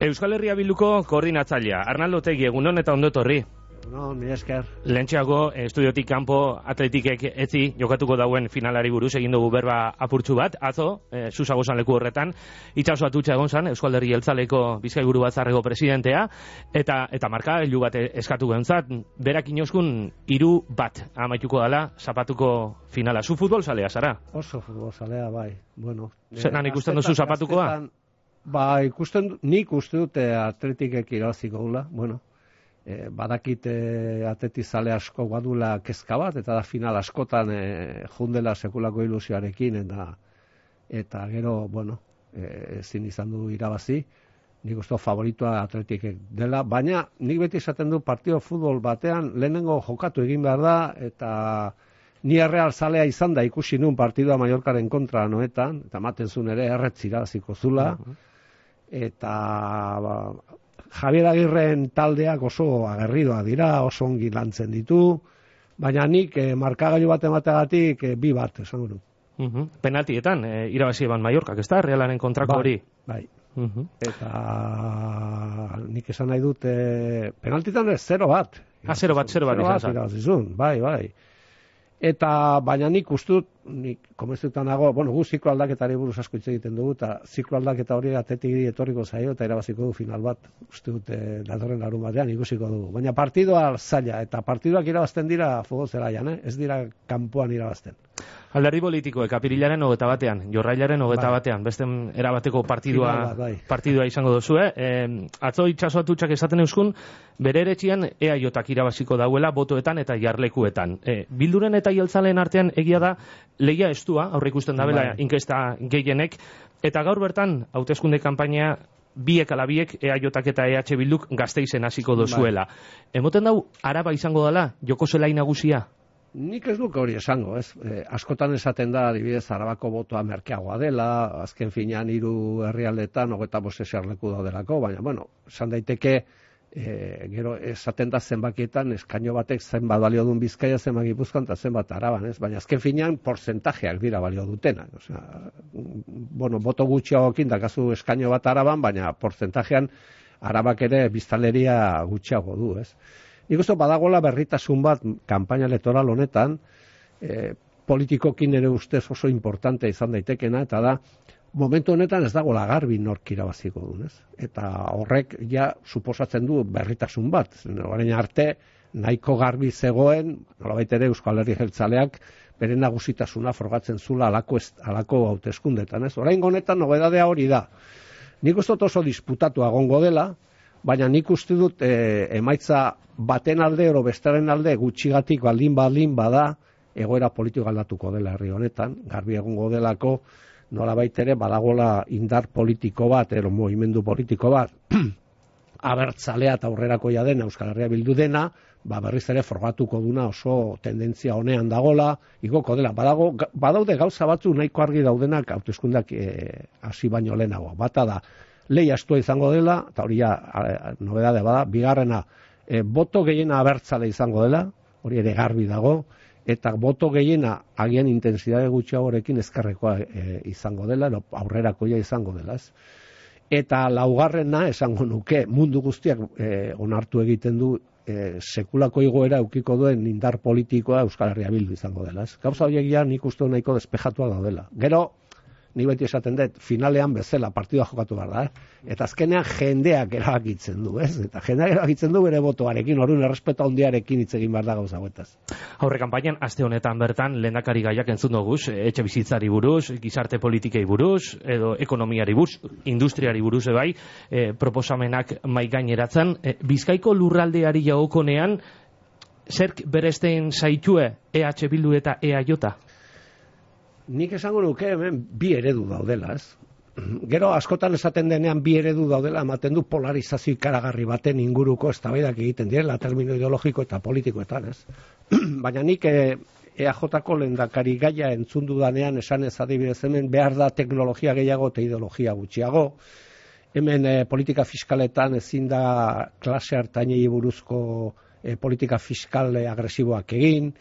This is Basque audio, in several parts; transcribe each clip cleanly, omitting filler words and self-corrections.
Euskal Herria Bilduko koordinatzailea, Arnaldo Otegi, egunon eta ondo etorri. No, mila esker. Lehentxeago, estudiotik kanpo atletikek etzi jokatuko dauen finalari buruz egin dugu berba apurtxu bat. Atzo, Susago leku horretan, itxaso atutxa egon zan, Euskal Herri Jeltzaleko Bizkaiburu Batzarreko presidentea, eta markagailu bat eskatu gentzat, berak inoskun 3-1 amaituko dela, zapatuko finala. Zu futbol zalea, zara? Oso futbol zalea, bai. Bueno, zenan ikusten duzu zapatukoa? Ba, nik uste dute atletikek irabaziko gula, bueno. Badakit atletizale asko badula kezka bat, eta da final askotan jundela sekulako ilusioarekin, eta gero, bueno, ezin izan du irabazi, nik uste favoritoa atletikek dela, baina nik beti esaten du partio futbol batean lehenengo jokatu egin behar da, eta ni Real zalea izan da ikusi nun partidua Mallorcaren kontra noetan, eta maten zuen ere erretz irabaziko zula, eta Javier Agirren taldeak oso agerridoa dira, oso ongi lantzen ditu, baina nik markagailu bat emategatik 2-1 esango du. Penaltietan, irabazi eban Mallorcak, ez da? Realaren kontrako hori? Bai. Eta nik esan nahi dut, penaltietan ez 0-1. 0-1 irabazi zuen, bai. Eta baina nik uste dut, komenzutan nago, bueno, gu ziklo aldaketari buruz asko hitz egiten dugu, eta ziklo aldaketa hori atletikiri etorriko zaio, eta irabaziko du final bat, uste dut, datorren larun batean ikusiko dugu. Baina partidua zaila, eta partiduak irabazten dira futbol zelaian, ez dira kanpoan irabazten. Alderdi politikoek apirilaren 21, jorrailaren 21, beste erabateko partidua izango duzue. Atzo itxaso atutxak esaten euskun, bere eretxian EAJak irabaziko dauela botoetan eta jarlekuetan. Bilduren eta jeltzaleen artean egia da lehia estua, aurre ikusten dabela inkesta gehienek, eta gaur bertan hauteskunde kanpaina biek ala biek EAJak eta EH Bilduk Gasteizen hasiko dozuela. Emoten dau Araba izango dela, joko zelai nagusia? Nik ez duk hori esango, ez? Askotan esaten da, adibidez, Arabako botoa merkeagoa dela, azken finean 3 herrialdetan 25 eserleku daudelako, baina, bueno, esan daiteke, gero esaten da zenbakietan, eskaino batek zenbat balio duen Bizkaia, zenbat Gipuzkoan, eta zenbat Araban, ez? Baina azken finean, porcentajeak dira balio dutenak. Osea, bueno, boto gutxiagokin dakazu eskaino bat Araban, baina porcentajean Arabak ere biztanleria gutxiago du, ez? Nik uste badagoela berritasun bat kanpaina elektoral honetan, politikokin ere ustez oso importante izan daitekena, eta da, momentu honetan ez dagoela garbi nork irabaziko duen, ez? Eta horrek ja suposatzen du berritasun bat. Orain arte nahiko garbi zegoen, nolabait ere Euskal Herri Jeltzaleak bere nagusitasuna frogatzen zula halako hauteskundetan, ez? Orain honetan nobedadea hori da. Nik uste oso disputatu egongo dela, baina nik uste dut emaitza baten alde oro bestaren alde gutxigatik baldin bada egoera politiko aldatuko dela herri honetan, garbi egongo delako nolabait ere badagola indar politiko bat, mugimendu politiko bat, abertzalea eta aurrerakoia dena Euskal Herria Bildu dena, berriz ere frogatuko duna oso tendentzia honean dagola, igoko dela. Badaude gauza batzu nahiko argi daudenak hauteskundeak hasi baino lehenago. Bata da, lehia estua izango dela, eta hori nobedade bada, bigarrena, boto gehiena abertzale izango dela, hori ere garbi dago, eta boto gehiena agian intensidade gutxiagorekin ezkerrekoa izango dela, aurrerakoia izango dela, ez? Eta laugarrena, esango nuke, mundu guztiak onartu egiten du sekulako igoera eukiko duen indar politikoa Euskal Herria Bildu izango dela, ez? Gauza horiek ja nik uste nahiko despejatua daudela. Gero, ni beti esaten dut, finalean bezala partidua jokatu behar da, eta azkenean jendeak erabakitzen du, ez? Eta jendeak erabakitzen du bere botoarekin, orduan errespetu handiarekin hitz egin behar da gauza hauetaz. Aurre kanpainan, aste honetan bertan, lehendakari gaiak entzun doguz, etxe bizitzari buruz, gizarte politikei buruz, edo ekonomiari buruz, industriari buruz ebai, proposamenak mai gaineratzen. Bizkaiko lurraldeari jagokonean, zerk beresten zaitue EH Bildu eta EAJ? Nik esango nuke hemen 2 eredu daudela, ez? Gero askotan esaten denean 2 eredu daudela, ematen du polarizazio ikaragarri baten inguruko eztabaidak egiten direla, termino ideologiko eta politikoetan, ez? Baina nik EAJko lehendakari gaia entzun dudanean esan ez adibidez hemen behar da teknologia gehiago eta ideologia gutxiago. Hemen politika fiskaletan ezin da klase hartainei buruzko politika fiskal agresiboak egin,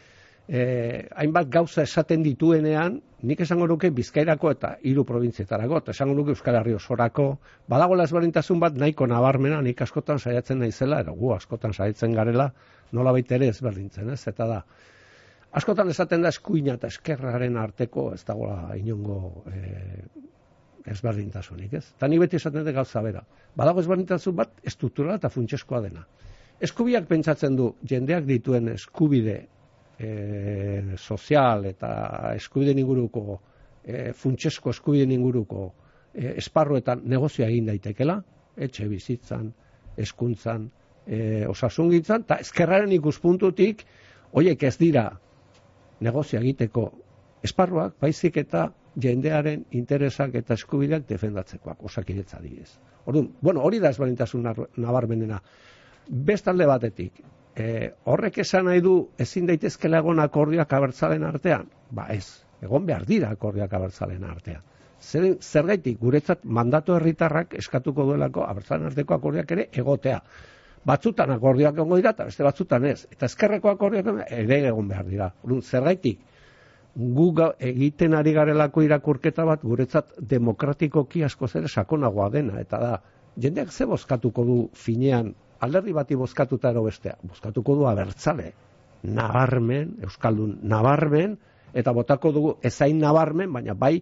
hainbat gauza esaten dituenean, nik esango nuke Bizkairako eta 3 probintzietarako, eta esango nuke Euskal Herri osorako, badagoela ezberdintasun bat nahiko nabarmena, nik askotan saiatzen naizela, eta gu askotan saiatzen garela, nolabait ere ezberdintzen, ez? Eta da, askotan esaten da eskuina eta eskerraren arteko, ez dagoela inongo ezberdintasunik, ez? Eta nik beti esaten dut gauza bera. Badago ezberdintasun bat estrukturala eta funtseskoa dena. Eskubiak pentsatzen du, jendeak dituen eskubide sozial eta eskubideen inguruko, funtsesko eskubideen inguruko esparruetan negozioa egin daitekela, etxe bizitzan, hezkuntzan, osasungintzan, eta ezkerraren ikuspuntutik, horiek ez dira negozioa egiteko esparruak, baizik eta jendearen interesak eta eskubideak defendatzekoak, Osakidetza adibidez. Orduan, hori da ezberdintasun nabarmenena. Bestalde batetik, horrek esan nahi du ezin daitezkela egon akordioak abertzaleen artean? Ba ez, egon behar dira akordioak abertzaleen artean. Zergaitik, guretzat mandatu herritarrak eskatuko duelako abertzaleen arteko akordioak ere egotea. Batzutan akordioak egongo dira eta beste batzutan ez. Eta ezkerreko akordioak ere egon behar dira. Zergaitik, gu egiten ari garelako irakurketa bat guretzat demokratikoki askoz ere sakonagoa dena. Eta da, jendeak ze bozkatuko du finean alderdi bati bozkatuta ero bestea, bozkatuko du abertzale, nabarmen, euskaldun nabarmen, eta botako dugu ezain nabarmen, baina bai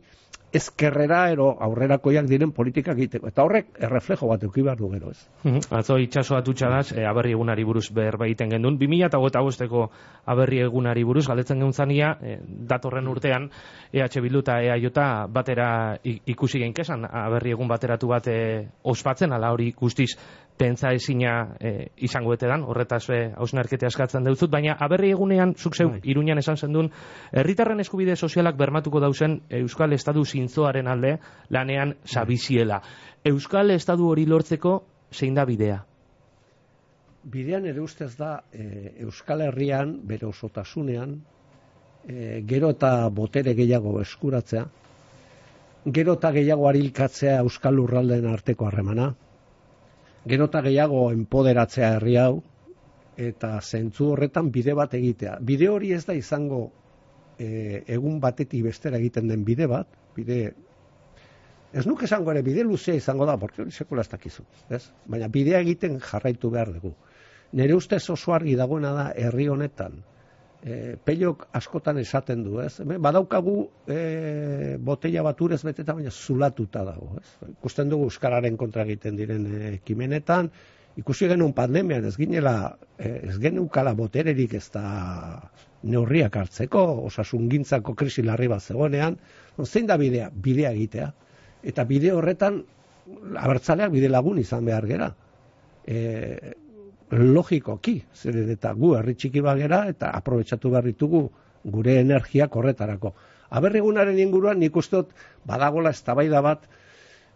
ezkerrera ero aurrerakoiak diren politikak egiteko. Eta horrek erreflejo bat eduki behar du gero, ez? Atzo itxaso atutxadaz, aberri egunari buruz berbaiten gendun. 2025ko aberri egunari buruz, galdetzen geuntzania, datorren urtean, EH Bildu eta EAJ batera ikusi genkesan, aberri egun bateratu bat ospatzen, ala hori guztiz pentsa ezina izango etedan, horretaz hausnarkete askatzen deutzut, baina aberri egunean, zuk zeu, Iruñan esan zendun, herritarren eskubide sozialak bermatuko dauzen Euskal Estadu zintzoaren alde lanean sabiziela. Euskal Estadu hori lortzeko zein da bidea? Bidean ere ustez da Euskal Herrian, bere osotasunean, gero eta botere gehiago eskuratzea, gero eta gehiago arilkatzea Euskal Lurraldeen arteko harremana, gero eta gehiago enpoderatzea herri hau, eta zentzu horretan bide bat egitea. Bide hori ez da izango egun batetik bestera egiten den bide bat, ez nuke esango ere bide luzea izango da, porque hori sekula ez dakizu, ez? Baina bidea egiten jarraitu behar dugu. Nire ustez oso argi dagoena da herri honetan, Pelok askotan esaten du, ez? Badaukagu botella bat urez beteta, baina zulatuta dago, ez? Ikusten dugu euskararen kontra egiten diren ekimenetan, ikusi genuen pandemian ez geneukala botererik ez da neurriak hartzeko, osasungintzako krisi larri bat zegoenean, zein da bidea? Bidea egitea. Eta bide horretan, abertzaleak bide lagun izan behar gera. Logikoki, zeren eta gu herri txiki bagera eta aprobetxatu behar ditugu gure energiak horretarako. Aberrigunaren inguruan nik uste dut badagola eztabaida bat,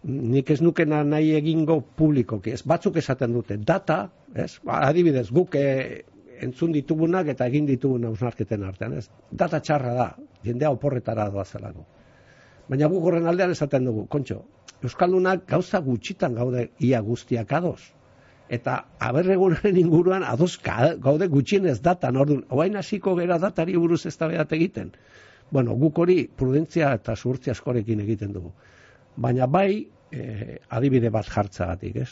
nik ez nukena nahi egingo publikoki, ez batzuk esaten dute, data, ez? Adibidez, guk entzun ditugunak eta egin ditugun hausnarketen artean, ez? Data txarra da, jendea oporretara doazelako. Baina guk horren aldean esaten dugu, kontxo, euskaldunak gauza gutxitan gaude ia guztiak ados. Eta aberregunaren inguruan ados gaude gutxienez datan, orduan, oain hasiko gera datari buruz eztabaidat egiten. Bueno, guk hori prudentzia eta zuhurtzia askorekin egiten dugu. Baina bai, adibide bat jartzagatik, ez?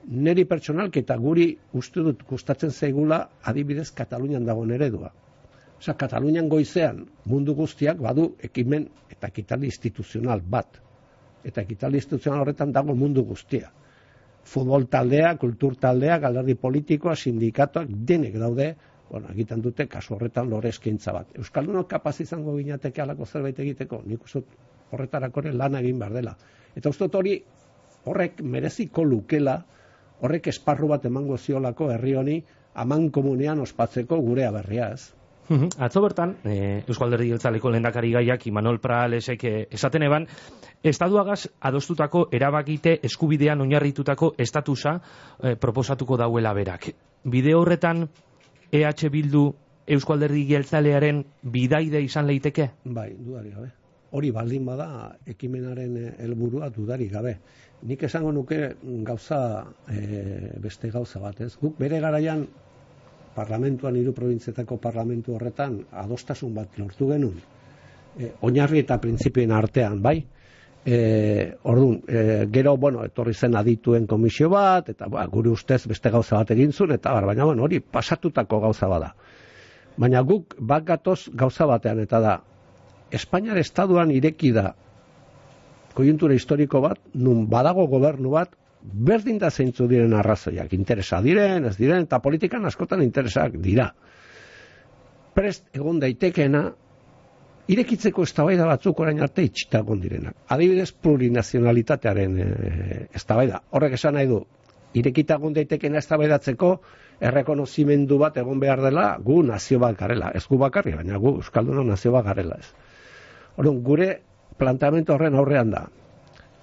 Neri pertsonalki eta guri uste dut gustatzen zaigula adibidez Katalunian dagoen eredua. Osa, Katalunian goizean mundu guztiak badu ekimen eta ekitaldi instituzional bat. Eta ekitaldi instituzional horretan dago mundu guztia. Futbol taldea, kultur taldea, alderdi politikoa, sindikatuak, denek daude, egiten dute kasu horretan lore eskaintza bat. Euskaldunok kapaz izango ginateke alako zerbait egiteko, nik uste horretarako lana egin behar dela. Eta uste hori horrek mereziko lukela, horrek esparru bat emango ziolako herri honi amankomunean ospatzeko gure aberria, ez? Atzo bertan, Eusko Alderdi Jeltzaleko lehendakari gaiak Imanol Prahalesek esaten eban, Estatuagaz adostutako erabakite eskubidean oinarritutako estatusa proposatuko dauela berak. Bide horretan EH Bildu Eusko Alderdi Jeltzalearen bidaide izan leiteke? Bai, dudarik gabe. Hori baldin bada ekimenaren helburua dudarik gabe. Nik esango nuke gauza, beste gauza bat, ez? Guk bere garaian parlamentuan, 3 probintzietako parlamentu horretan, adostasun bat lortu genuen. Oinarri eta printzipioen artean, bai? Orduan, gero, etorri zen adituen komisio bat, eta gure ustez beste gauza bat egin zuen, eta baina hori pasatutako gauza bada. Baina guk bat gatoz gauza batean, eta da, Espainiar Estaduan ireki da koiuntura historiko bat, nun badago gobernu bat, berdin da zeintzu diren arrazoiak, interesa diren, ez diren, eta politikan askotan interesak dira. Prest egon daitekeena, irekitzeko eztabaida batzuk orain arte itxita egon direnak. Adibidez, plurinazionalitatearen eztabaida. Horrek esan nahi du, irekita egon daitekeena eztabaidatzeko errekonozimendu bat egon behar dela, gu nazio bat garela. Ez gu bakarri, baina gu euskalduna nazio bat garela ez. Orduan, gure planteamendu horren aurrean da.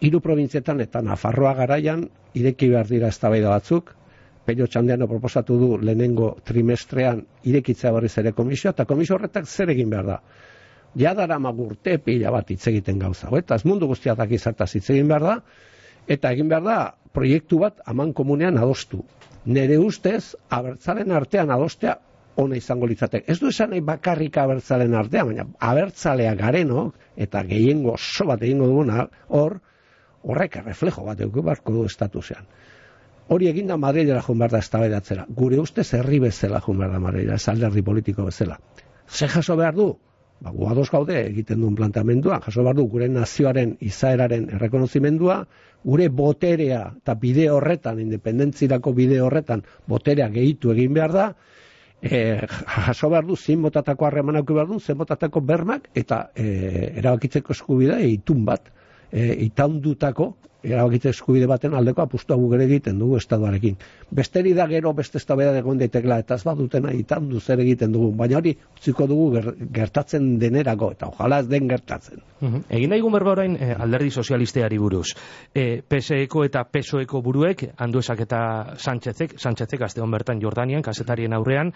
3 probintzietan eta Nafarroa garaian ireki behar dira eztabaida batzuk. Pello Txandiano proposatu du lehenengo trimestrean irekitzea berriz ere komisioa, eta komisio horretak zer egin behar da. Ja daramagu urte pila bat hitz egiten gauza. Eta ez mundu guztiatak izartaz hitz egin behar da, eta egin behar da proiektu bat aman komunean adostu. Nere ustez, abertzalen artean adostea ona izango litzatek. Ez du esan nahi bakarrik abertzalen artean, baina abertzalea garenok, eta gehiengo oso bat egingo duguna, horrek erreflejo bat eduki beharko du estatusean. Hori eginda Madrilera joan behar da eztabaidatzera. Gure ustez herri bezala joan behar da Madrilera, ez alderdi politiko bezala. Ze jaso behar du? Gu ados gaude egiten duen planteamendua, jaso behar du gure nazioaren izaeraren errekonozimendua, gure boterea eta bide horretan, independentzirako bide horretan, boterea gehitu egin behar da, jaso behar du zein botatako harremanak behar du, zein botatako bermak, eta erabakitzeko eskubidea itun bat, itaundutako erabakitze eskubide baten aldeko apustua gure egiten dugu estatuarekin. Besteri da gero beste eztabaida egon daitekela, eta ez badutena itandu zer egiten dugu, baina hori utziko dugu gertatzen denerako, eta ojala ez den gertatzen. Egin daigun berba orain alderdi sozialisteari buruz. PSeko eta PSOeko buruek, Anduezak eta Sánchezek aste hon bertan Jordanian, kazetarien aurrean,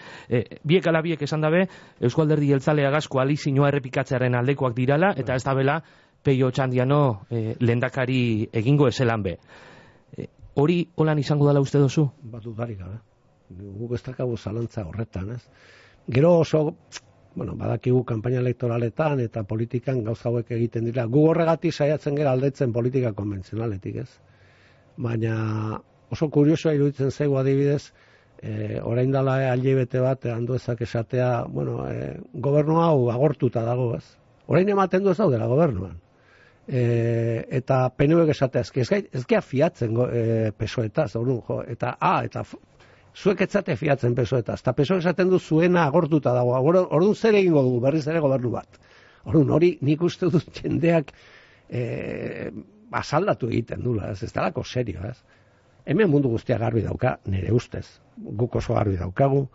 biek ala biek esan dabe, Eusko Alderdi Jeltzaleagaz koalizioa errepikatzearen aldekoak dirala, eta ez dabela Pello Txandiano lehendakari egingo ezelan be. Hori holan izango dela uste dozu? Dudarik gabe. Guk ez dakagu zalantza horretan, ez? Gero oso, badakigu kanpaina elektoraletan eta politikan gauza hauek egiten dira. Gu horregatik saiatzen gara aldetzen politika konbentzionaletik, ez? Baina oso kuriosoa iruditzen zaigu adibidez, orain dela hilabete bat Anduezak esatea, gobernu hau agortuta dago, ez? Orain ematen du ez daudela gobernuan. Eta PNVek esatea, ez gea fiatzen PSOEtaz, eta zuek etzate fiatzen PSOEtaz, eta PSOE esaten du zuena agortuta dago, orduan zer egingo dugu berriz ere gobernu bat. Orduan hori nik uste dut jendeak asaldatu egiten dula, ez dalako serio, ez? Hemen mundu guztia garbi dauka, nire ustez, guk oso garbi daukagu,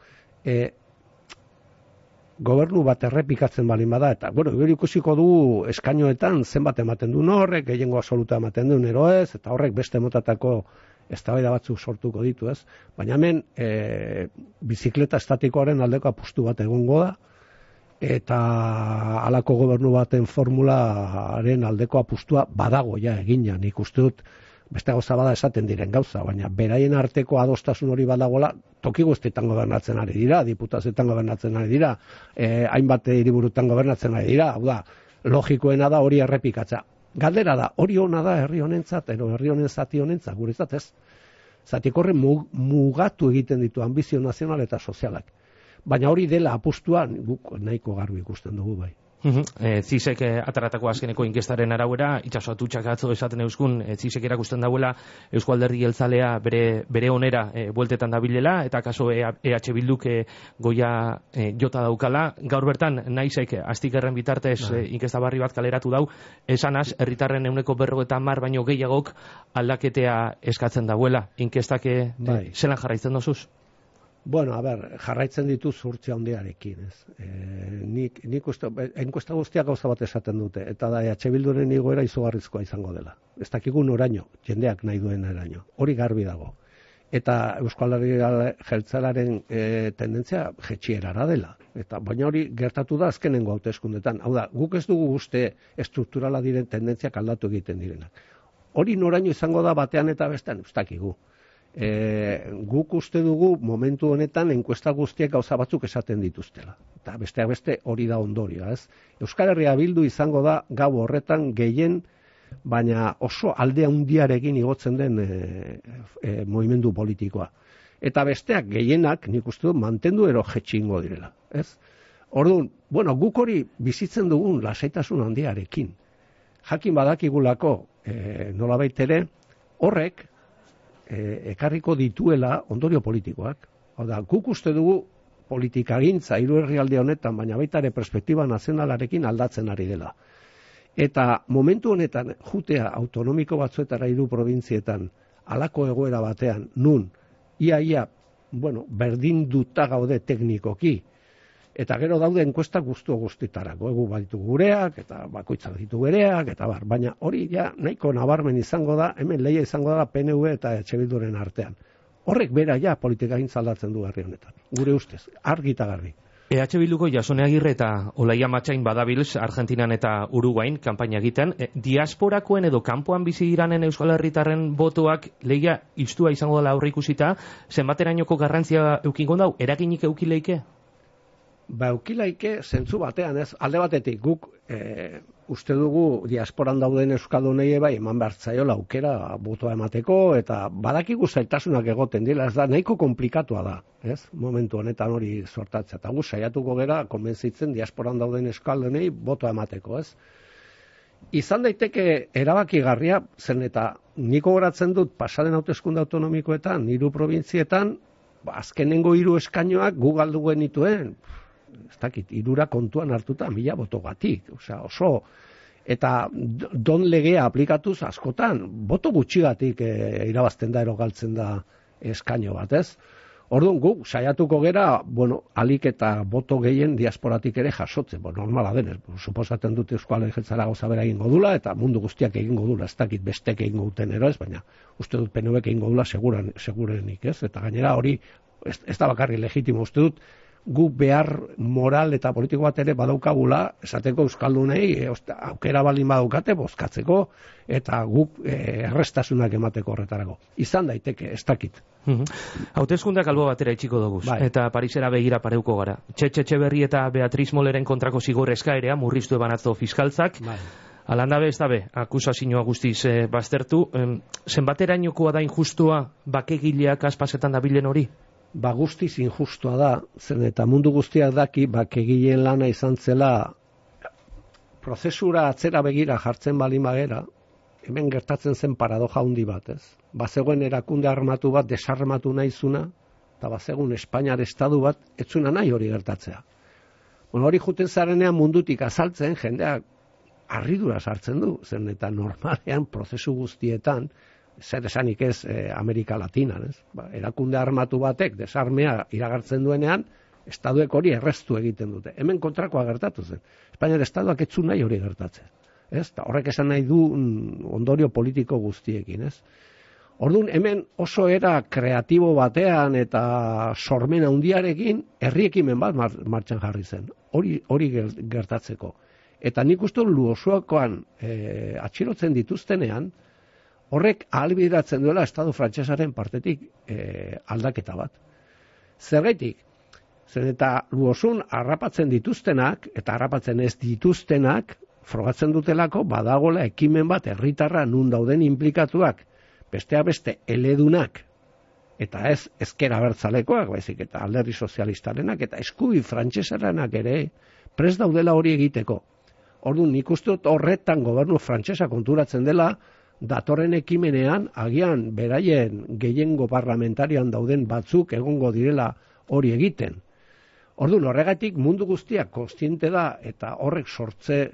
gobernu bat errepikatzen balin bada, eta, gero ikusiko du eskainoetan zenbat ematen duen horrek, gehiengo absoluta ematen duen eroez, eta horrek beste motatako eztabaida batzuk sortuko ditu, ez? Baina hemen, bizikleta estatikoaren aldeko apustu bat egongo da, eta halako gobernu baten formularen aldeko apustua badago ja egina, nik uste dut, beste gauza bada esaten diren gauza, baina beraien arteko adostasun hori badagoela, toki guztietan gobernatzen ari dira, diputazioetan gobernatzen ari dira, hainbat hiriburutan gobernatzen ari dira, hau da, logikoena da hori errepikatza. Galdera da, hori ona da herri honentzat, herri honen zati honentzat, guretzat ez. Zatik horre mugatu egiten ditu ambizio nazional eta sozialak. Baina hori dela apustuan, guk nahiko garbi ikusten dugu bai. Zizek ataratako azkeneko inkestaren arabera, itxasoatutxak atzo esaten euskun, Zizek erakusten dauela Eusko Alderdi Jeltzalea bere onera bueltetan dabilela, eta kaso EH Bilduk goia jota daukala. Gaur bertan, naizek astikerren bitartez inkesta barri bat kaleratu dau, esanaz, herritarren 50% baino gehiagok aldaketea eskatzen dauela. Inkestak zelan jarraitzen dozuz? Jarraitzen ditu zurtzia handiarekin, ez? Nik uste, enkuesta guztiak gauza bat esaten dute, eta da EH Bilduren igoera izugarrizkoa izango dela. Ez dakigun oraino, jendeak nahi duen eraino. Hori garbi dago. Eta Eusko Alderdi Jeltzalearen tendentzia jetxierara dela. Baina hori gertatu da azkenengo hauteskundetan. Hau da, guk ez dugu uste estrukturala diren tendentziak aldatu egiten direnak. Hori noraino izango da batean eta bestean, ez dakigu. guk uste dugu momentu honetan enkuesta guztiek gauza batzuk esaten dituztela. Eta besteak beste hori da ondorioa, ez? Euskal Herria Bildu izango da gau horretan gehien, baina oso alde handiarekin igotzen den mugimendu politikoa. Eta besteak gehienak, nik uste dut, mantendu ero jetxingo direla, ez? Orduan, bueno, guk hori bizitzen dugun lasaitasun handiarekin. Jakin badakigulako, nolabait ere, horrek ekarriko dituela ondorio politikoak. Oda, guk uste dugu politikagintza hiru herrialde honetan, baina baita ere perspektiba nazionalarekin aldatzen ari dela. Eta momentu honetan jutea autonomiko batzuetara hiru probintzietan halako egoera batean, nun ia, bueno, berdinduta gaude teknikoki, eta gero daude enkuesta guztitarako, egu baditu gureak, eta bakoitzak ditu bereak, eta bar, baina hori ja nahiko nabarmen izango da, hemen lehia izango da PNV eta EH Bilduren artean. Horrek bera ja politikagintza aldatzen du herri honetan, gure ustez, argi eta garbi. EH Bilduko Jasone Agirre eta Olaia Matxain badabilz Argentinan eta Uruguain kanpaina egiten, diasporakoen edo kanpoan bizi diranen Euskal Herritarren botoak lehia iztua izango dela aurreikusita, zenbaterainoko garrantzia eukingo dau, eraginik eukileike? Ba, eukilaike zentzu batean, ez, alde batetik guk uste dugu diasporan dauden euskaldunei bai eman behartzaiola aukera botoa emateko, eta badakigu zailtasunak egoten dira, ez da, nahiko komplikatua da, ez, momentu honetan hori sortatzea, eta gu saiatuko gera konbentzitzen diasporan dauden euskaldunei botoa emateko, ez. Izan daiteke erabakigarria, zen eta niko goratzen dut pasaden hauteskunde autonomikoetan, 3 probintzietan, azkenengo 3 eskainoak gu galdu genituen, ez dakit, 3 kontuan hartuta 1000 botogatik, osea, oso, eta don legea aplikatuz askotan, boto gutxigatik irabazten da erogaltzen da eskaino bat, ez? Orduan guk saiatuko gera, bueno, alik eta boto gehien diasporatik ere jasotzen, normala denez, suposatzen dute Euskal Jeltzalea gauza bera egingo dula, eta mundu guztiak egingo dula, ez dakit bestek egingo duten ero ez, baina uste dut PNVek egingo dula segurenik, ez? Eta gainera hori, ez da bakarri legitimo, uste dut, gu behar moral eta politiko bat ere badaukagula, esateko euskaldunei aukera baldin badaukate bozkatzeko, eta guk errestasunak emateko horretarako. Izan daiteke, ez dakit. Hauteskundeak albo batera itxiko dugu, eta Parisera begira pareuko gara. Etxeberri eta Beatriz Molleren kontrako zigor eskaerea murriztu ebanatzo fiskaltzak, alandabe ez dabe, akusazioa guztiz baztertu, zenbaterainokoa da injustua bakegileak aspasetan dabilen hori? Ba guztiz injustua da, zen eta mundu guztiak daki bakegileen lana izan zela prozesura atzera begira jartzen bali magera, hemen gertatzen zen paradoja handi bat, ez? Bazegoen erakunde armatu bat desarmatu nahizuna, eta bazegoen Espainiar estadu bat etzuna nahi hori gertatzea. Bueno, hori juten zarenean mundutik azaltzen, jendeak harridura sartzen du, zen eta normalean prozesu guztietan, zer esanik ez Amerika Latinan, ez? Erakunde armatu batek desarmea iragartzen duenean, estaduek hori erreztu egiten dute. Hemen kontrakoa gertatu zen. Espainiar estaduak etzu nahi hori gertatzen. Ez? Ta horrek esan nahi du ondorio politiko guztiekin, ez? Orduan, hemen oso era kreatibo batean eta sormen handiarekin herriekimen bat martxan jarri zen. Hori gertatzeko. Eta nik uste Luosuakoan atxilotzen dituztenean, horrek ahalbideratzen duela Estatu frantsesaren partetik aldaketa bat. Zergaitik, zen eta Luosun harrapatzen dituztenak, eta harrapatzen ez dituztenak, frogatzen dutelako badagola ekimen bat herritarra nun dauden inplikatuak, besteak beste eledunak, eta ez ezker abertzalekoak, baizik eta alderdi sozialistarenak, eta eskubi frantsesaranak ere, prest daudela hori egiteko. Orduan, nik uste dut horretan gobernu frantsesa konturatzen dela, datorren ekimenean, agian beraien gehiengo parlamentarian dauden batzuk egongo direla hori egiten. Orduan, horregatik mundu guztiak kontziente da, eta horrek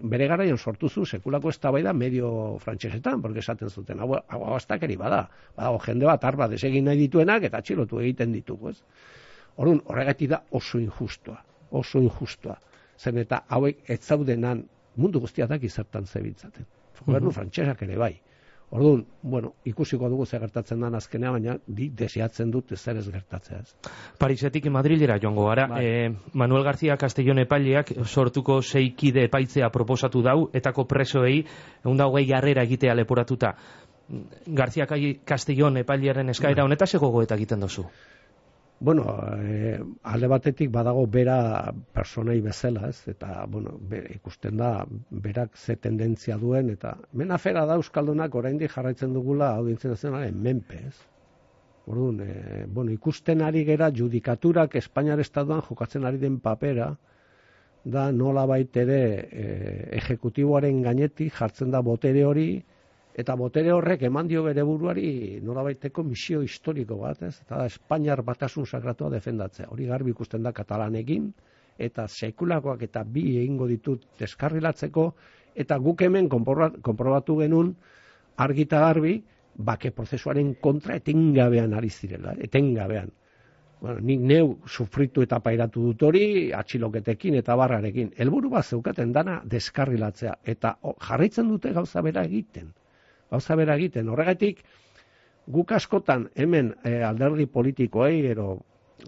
bere garaian sortu zu sekulako eztabaida medio frantsesetan, porque esaten zuten, hau astakeri bada, jende bat arba desegin nahi dituenak, eta atxilotu egiten ditugu, ez? Orduan, horregatik da oso injustua. Zen eta hauek ez zaudenan mundu guztiak daki zertan zebiltzaten. Gobernu frantsesak ere bai. Orduan, bueno, ikusiko dugu zer gertatzen den azkenea, baina desiatzen dut zer ez gertatzea. Parisetik Madrilera joango gara. Manuel García Castellón epaileak sortuko 6 kide epaitzea proposatu dau, etako presoei 120 jarrera egitea leporatuta. García Castellón epailearen eskaera honetaz gogoeta egiten duzu? Bueno, alde batetik badago bera personai bezala, ez? Eta, bueno, ikusten da, berak ze tendentzia duen, eta hemen afera da Euskaldunak oraindik jarraitzen dugula Audientzia Nazionalaren menpe, ez? Orduan, bueno, ikusten ari gera judikaturak Espainiar Estatuan jokatzen ari den papera, da nolabait ere ejekutiboaren gainetik jartzen da botere hori, eta botere horrek eman dio bere buruari nolabaiteko misio historiko bat, ez? Eta Espainiar batasun sakratua defendatzea. Hori garbi ikusten da Katalanekin, eta sekulakoak eta bi egingo ditut deskarrilatzeko, eta guk hemen konprobatu genuen argi eta garbi, bake prozesuaren kontra etengabean ari zirela, etengabean. Bueno, nik neu sufritu eta pairatu dut hori, atxiloketekin eta barrarekin. Helburu bat zeukaten dana deskarrilatzea, eta jarraitzen dute gauza bera egiten. Horregatik, guk askotan hemen alderdi politikoei, ero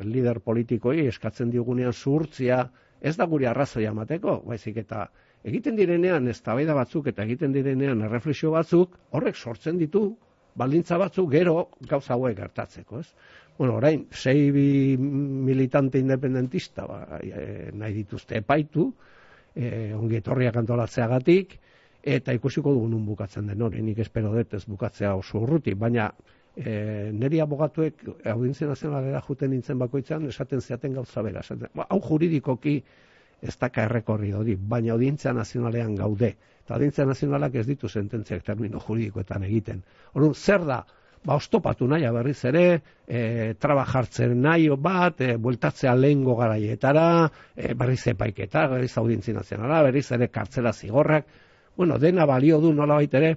lider politikoei eskatzen digunean zuhurtzia, ez da guri arrazoia emateko, baizik eta egiten direnean eztabaida batzuk eta egiten direnean erreflexio batzuk, horrek sortzen ditu baldintza batzuk gero gauza hauek gertatzeko, ez? Bueno, orain, 6 militante independentista nahi dituzte epaitu, ongi etorriak antolatzeagatik, eta ikusiko dugu nun bukatzen den hori, nik espero dut ez bukatzea oso urruti, baina niri abogatuek Audientzia Nazionalera juten nintzen bakoitzean esaten zeaten gauza bera. Hau juridikoki ez daka errekorri hori, baina Audientzia Nazionalean gaude. Eta Audientzia Nazionalak ez ditu sententziak termino juridikoetan egiten. Orduan, zer da? Ostopatu nahi berriz ere, traba jartzen nahi bat, bueltatzea lehengo garaietara, berriz epaiketa, berriz Audientzia Nazionala, berriz ere kartzela zigorrak. Bueno, dena balio du nolabait ere,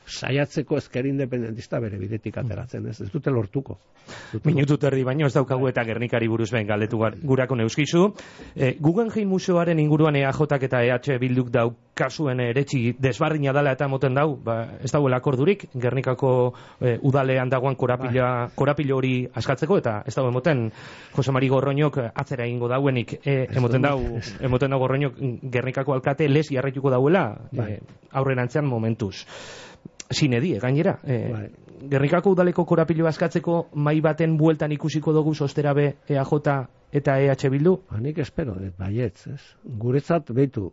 saiatzeko ezker independentista bere bidetik ateratzen, ez dute lortuko. Minutu terdi baino ez daukagu eta Gernikari buruz behin galdetu gurako neuskizu. Guggenheim Museoaren inguruan EAJak eta EH Bilduk daukazuen eretxi desbardina dela eta moten dau, ez dauela akordurik, Gernikako udalean dagoan korapilo hori askatzeko, eta ez dago emoten Jose Mari Gorroñok atzera egingo dauenik, emoten dau Gorroñok Gernikako alkate les jarraituko dauela, aurrerantzean momentuz. Sinedi, gainera. Gernikako udaleko korapilo askatzeko mai baten bueltan ikusiko dugu sosterabe EAJ eta EH Bildu? Nik espero, baietz, ez. Guretzat, behitu,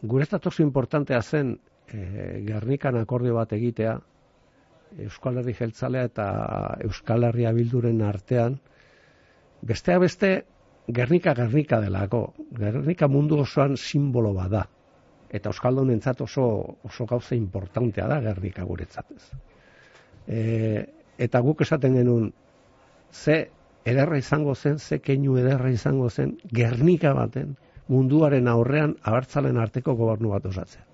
guretzat oso importantea zen Gernikan akordio bat egitea, Euskal Herri Jeltzalea eta Euskal Herria Bilduren artean, besteak beste, Gernika delako. Gernika mundu osoan simbolo bada. Eta Euskaldunentzat oso gauza importantea da Gernika guretzat. Eta guk esaten genuen, ze ederra izango zen, ze keinu ederra izango zen, Gernika baten munduaren aurrean abertzalen arteko gobernu bat osatzea.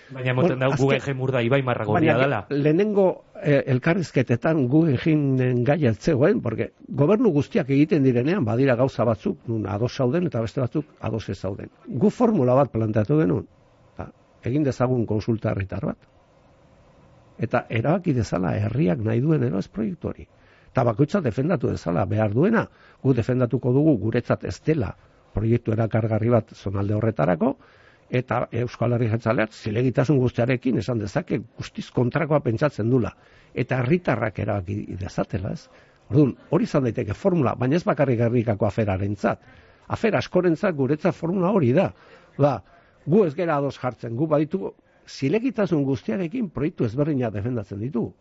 Baina moten da Guggenheim urda Ibai Marragorria dela. Lehenengo elkarrizketetan Guggenheim gai altzegoen, porque gobernu guztiak egiten direnean badira gauza batzuk, nun ados zauden eta beste batzuk ados ez zauden. Gu formula bat planteatu genuen, egin dezagun konsulta herritar bat. Eta erabaki dezala herriak nahi duen eroz proiektu hori. Eta bakoitza defendatu dezala behar duena, gu defendatuko dugu guretzat ez dela proiektu erakargarri bat zonalde horretarako, eta Euskal Herri Jeltzaleak zilegitasun guztiarekin esan dezake guztiz kontrakoa pentsatzen dula. Eta herritarrak erabaki dezatela, ez? Orduan, hori izan daiteke formula, baina ez bakarrik Gernikako aferarentzat. Afera askorentzat guretzat formula hori da. Gu ez gera ados jartzen, gu baditu zilegitasun guztiarekin proiektu ezberdinak defendatzen ditu.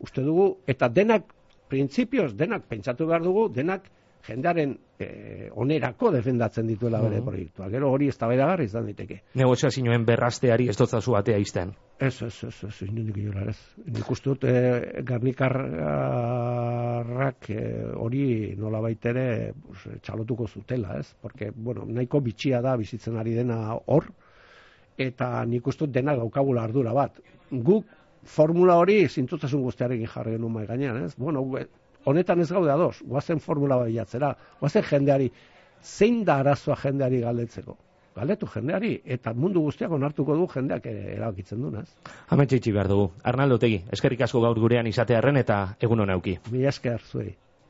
Uste dugu, eta denak, printzipioz, denak pentsatu behar dugu, denak jendearen onerako defendatzen dituela bere proiektua. Gero hori eztabaidagarri izan daiteke. Negoziazioen berrazteari ez dotzazu atea izten. Ez, inondik inola ez. Nik uste dut Gernikarrak hori nola baitere txalotuko zutela, ez? Porque, bueno, nahiko bitxia da bizitzen ari dena hor, eta nik uste dut dena daukagula ardura bat. Guk formula hori zintzotasun guztiarekin jarri genuen mai gainean, ez? Bueno, honetan ez gaude ados, guazen formula baiatzera, guazen jendeari, zein da arazoa jendeari galdetzeko? Galdetu jendeari, eta mundu guztiak onartuko du jendeak erabakitzen duen, ez? Hemen txitsi behar dugu. Arnaldo Otegi, eskerrik asko gaur gurean izatearren eta egun hona euki. Mila esker zuei.